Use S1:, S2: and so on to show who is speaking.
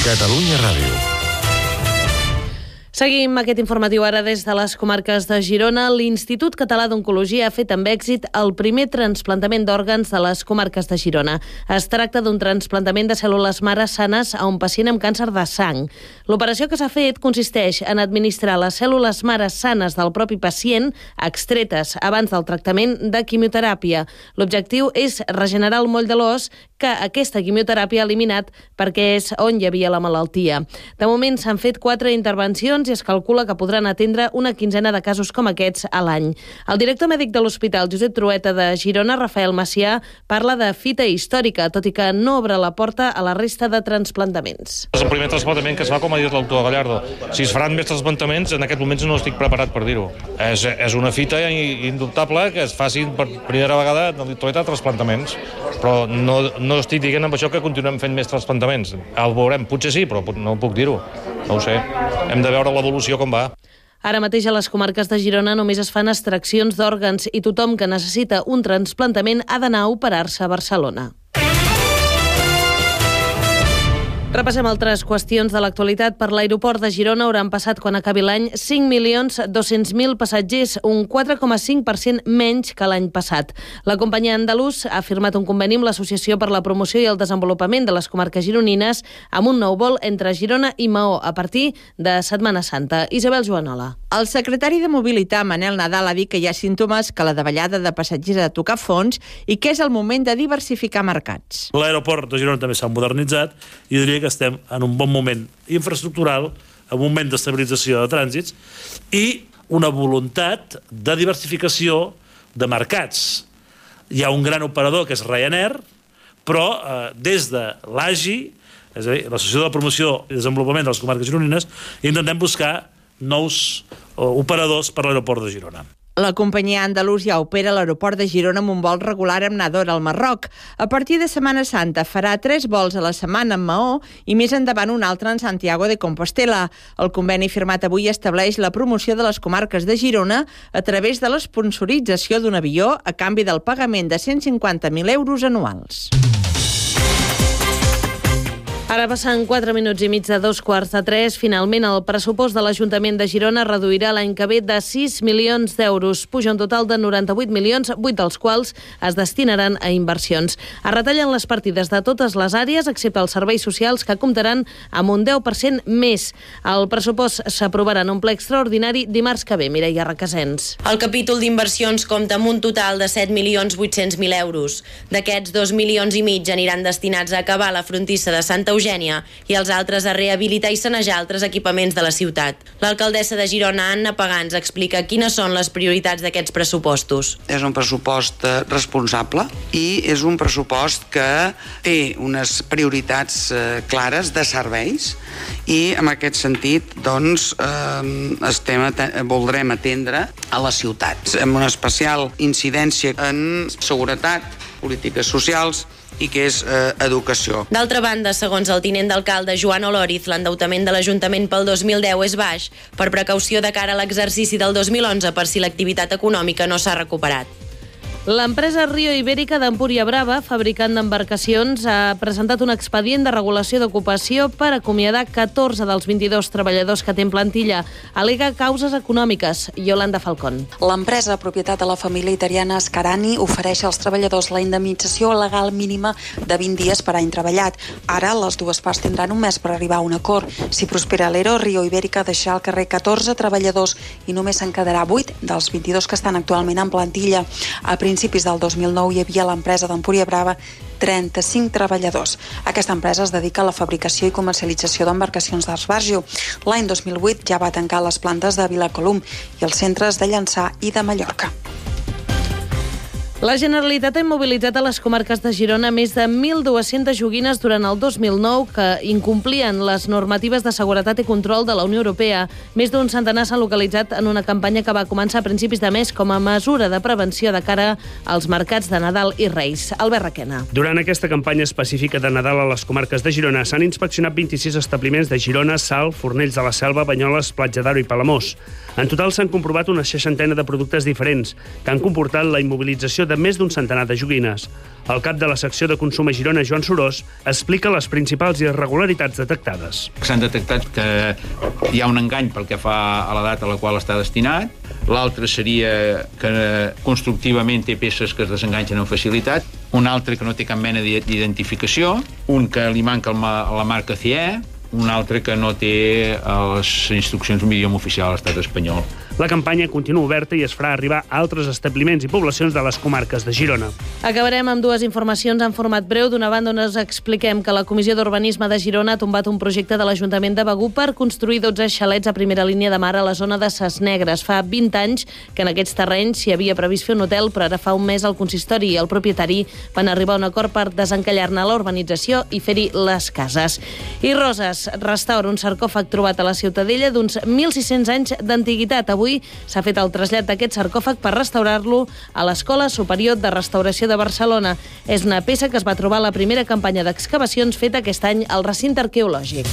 S1: Catalunya Ràdio.
S2: Seguim aquest informatiu ara des de les comarques de Girona. L'Institut Català d'Oncologia ha fet amb èxit el primer trasplantament d'òrgans de les comarques de Girona. Es tracta d'un trasplantament de cèl·lules mare sanes a un pacient amb càncer de sang. L'operació que s'ha fet consisteix en administrar les cèl·lules mare sanes del propi pacient, extretes abans del tractament de quimioteràpia. L'objectiu és regenerar el moll de l'os que aquesta quimioteràpia ha eliminat perquè és on hi havia la malaltia. De moment s'han fet 4 intervencions i es calcula que podran atendre una quinzena de casos com aquests a l'any. El director mèdic de l'Hospital Josep Trueta de Girona, Rafael Macià, parla de fita històrica, tot i que no obre la porta a la resta de transplantaments.
S3: És el primer trasplantament que es fa, com ha dit l'autor Gallardo. Si es faran més transplantaments, en aquest moment no estic preparat per dir-ho. És una fita indubtable que es facin per primera vegada de Trueta transplantaments, però no estic dient amb això que continuem fent més transplantaments. El veurem, potser sí, però no puc dir-ho. No ho sé. Hem de veure l'evolució com va.
S2: Ara mateix a les comarques de Girona només es fan extraccions d'òrgans i tothom que necessita un trasplantament ha d'anar a operar-se a Barcelona. Repassem altres qüestions de l'actualitat. Per l'aeroport de Girona hauran passat, quan acabi l'any, 5.200.000 passatgers, un 4,5% menys que l'any passat. La companyia andalús ha firmat un conveni amb l'Associació per la Promoció i el Desenvolupament de les Comarques Gironines amb un nou vol entre Girona i Maó a partir de Setmana Santa. Isabel Joanola.
S4: El secretari de Mobilitat, Manel Nadal, ha dit que hi ha símptomes que la davallada de passatgers ha de tocar fons i que és el moment de diversificar mercats.
S5: L'aeroport de Girona també s'ha modernitzat i diria que estem en un bon moment infraestructural, en un moment d'estabilització de trànsits i una voluntat de diversificació de mercats. Hi ha un gran operador que és Ryanair, però des de l'AGI, és a dir, l'Associació de la Promoció i Desenvolupament de les Comarques Gironines, intentem buscar nous operadors per l'aeroport de Girona.
S4: La companyia Andalusia opera a l'aeroport de Girona amb un vol regular amb Nador al Marroc. A partir de Setmana Santa farà 3 vols a la setmana en Maó i més endavant un altre en Santiago de Compostela. El conveni firmat avui estableix la promoció de les comarques de Girona a través de l'esponsorització d'un avió a canvi del pagament de 150.000 euros anuals.
S2: Ara passen 4 minuts i mig de 2:15. Finalment, el pressupost de l'Ajuntament de Girona reduirà l'any que ve de 6 milions d'euros. Puja un total de 98 milions, 8 dels quals es destinaran a inversions. Es retallen les partides de totes les àrees, excepte els serveis socials, que comptaran amb un 10% més. El pressupost s'aprovarà en un ple extraordinari dimarts que ve. Mireia Requesens.
S6: El capítol d'inversions compta amb un total de 7.800.000 euros. D'aquests, 2,5 milions aniran destinats a acabar la frontissa de Santa Eugènia i els altres a rehabilitar i sanejar altres equipaments de la ciutat. L'alcaldessa de Girona, Anna Pagans, explica quines són les prioritats d'aquests pressupostos.
S7: És un pressupost responsable i és un pressupost que té unes prioritats clares de serveis i en aquest sentit doncs, voldrem atendre a les ciutats amb una especial incidència en seguretat, polítiques socials i que és educació.
S6: D'altra banda, segons el tinent d'alcalde Joan Oloriz, l'endeutament de l'Ajuntament pel 2010 és baix, per precaució de cara a l'exercici del 2011 per si l'activitat econòmica no s'ha recuperat.
S2: L'empresa Rio Ibérica d'Empúria Brava, fabricant d'embarcacions, ha presentat un expedient de regulació d'ocupació per acomiadar 14 dels 22 treballadors que té en plantilla. Al·lega causes econòmiques. Yolanda Falcón.
S8: L'empresa, propietat de la família italiana Scarani, ofereix als treballadors la indemnització legal mínima de 20 dies per any treballat. Ara, les dues parts tindran un mes per arribar a un acord. Si prospera l'ERO, Rio Ibérica deixarà al carrer 14 treballadors i només se'n quedarà 8 dels 22 que estan actualment en plantilla. A principis del 2009 hi havia a l'empresa d'Empúria Brava 35 treballadors. Aquesta empresa es dedica a la fabricació i comercialització d'embarcacions d'esbarjo. L'any 2008 ja va tancar les plantes de Vilacolum i els centres de Llançà i de Mallorca.
S2: La Generalitat ha immobilitzat a les comarques de Girona més de 1.200 joguines durant el 2009 que incomplien les normatives de seguretat i control de la Unió Europea. Més d'un centenar s'han localitzat en una campanya que va començar a principis de mes com a mesura de prevenció de cara als mercats de Nadal i Reis. Albert Requena.
S9: Durant aquesta campanya específica de Nadal a les comarques de Girona s'han inspeccionat 26 establiments de Girona, Salt, Fornells de la Selva, Banyoles, Platja d'Aro i Palamós. En total s'han comprovat una 60 de productes diferents que han comportat la immobilització de de més d'un centenar de joguines. El cap de la secció de consum a Girona, Joan Sorós, explica les principals irregularitats detectades.
S1: S'han detectat que hi ha un engany pel que fa a l'edat a la qual està destinat. L'altre seria que constructivament té peces que es desenganxen amb facilitat. Un altre que no té cap mena d'identificació. Un que li manca la marca CE. Un altre que no té les instruccions en idioma oficial a l'estat espanyol.
S9: La campanya continua oberta i es farà arribar a altres establiments i poblacions de les comarques de Girona.
S2: Acabarem amb dues informacions en format breu. D'una banda, on us expliquem que la Comissió d'Urbanisme de Girona ha tombat un projecte de l'Ajuntament de Begur per construir 12 xalets a primera línia de mar a la zona de Ses Negres. Fa 20 anys que en aquests terrenys s'hi havia previst fer un hotel, però ara fa un mes el consistori i el propietari van arribar a un acord per desencallar-ne la urbanització i fer-hi les cases. I Roses restaura un sarcòfag trobat a la Ciutadella d'uns 1.600 anys d'antiguitat. Avui s'ha fet el trasllat d'aquest sarcòfag per restaurar-lo a l'Escola Superior de Restauració de Barcelona. És una peça que es va trobar a la primera campanya d'excavacions feta aquest any al recinte arqueològic.